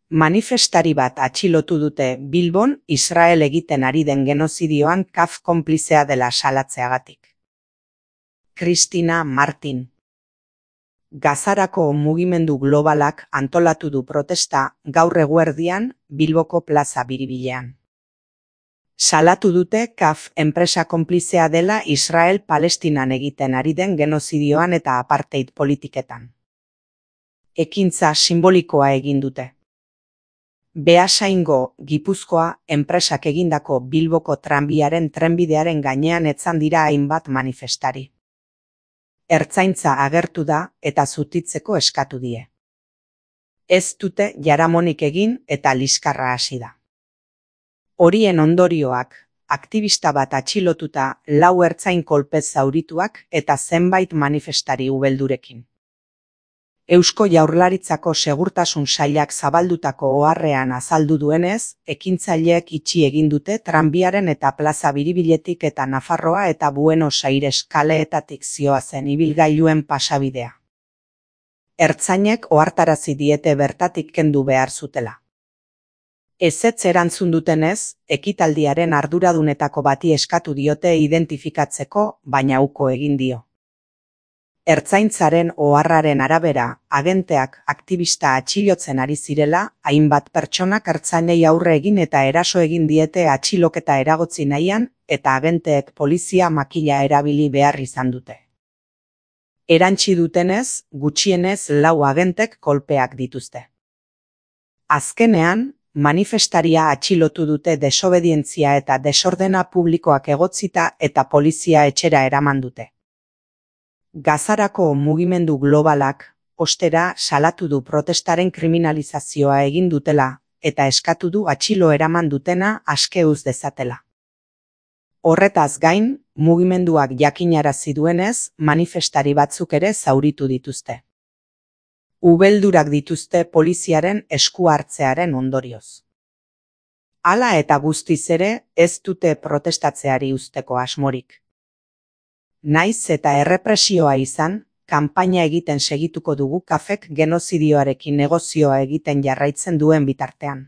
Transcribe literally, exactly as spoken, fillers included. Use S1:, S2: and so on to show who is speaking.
S1: Manifestari bat atxilotu dute Bilbon Israel egiten ari den genozidioan kaf konplizea dela salatzeagatik. Cristina Martin. Gazarako mugimendu globalak antolatu du protesta gaur eguerdian Bilboko plaza biribilean. Salatu dute kaf enpresa konplizea dela Israel Palestinan egiten ari den genozidioan eta apartheid politiketan. Ekintza simbolikoa egin dute. Beasaingo, Gipuzkoa, enpresak egindako Bilboko tranbiaren trenbidearen gainean etzan dira hainbat manifestari. Ertzaintza agertu da eta zutitzeko eskatu die. Ez dute jaramonik egin eta liskarra hasi da. Horien ondorioak, aktivista bat atxilotuta, lau ertzain kolpez zaurituak eta zenbait manifestari ubeldurekin. Eusko Jaurlaritzako Segurtasun Sailak zabaldutako oharrean azaldu duenez, ekintzaileek itxi egin dute tranbiaren eta plaza biribiletik eta Nafarroa eta Buenos Aires kaleetatik zihoazen ibilgailuen pasabidea. Ertzainek ohartarazi diete bertatik kendu behar zutela. Ezetz erantzun dutenez, ekitaldiaren arduradunetako bati eskatu diote identifikatzeko, baina uko egin dio. Ertzaintzaren oharraren arabera, agenteak aktivista atxilotzen ari zirela, hainbat pertsonak ertzainei aurre egin eta eraso egin diete atxiloketa eragotzi nahian, eta agenteek polizia makila erabili behar izan dute. Erantsi dutenez, gutxienez lau agentek kolpeak dituzte. Azkenean, manifestaria atxilotu dute desobedientzia eta desordena publikoak egotzita eta polizia etxera eraman dute. Gazarako mugimendu globalak, ostera, salatu du protestaren kriminalizazioa egin dutela, eta eskatu du atxilo eraman dutena aske uz dezatela. Horretaz gain, mugimenduak jakinarazi duenez, manifestari batzuk ere zauritu dituzte. Ubeldurak dituzte poliziaren esku hartzearen ondorioz. Hala eta guztiz ere, ez dute protestatzeari uzteko asmorik. Naiz eta errepresioa izan, kanpaina egiten segituko dugu kafek genozidioarekin negozioa egiten jarraitzen duen bitartean.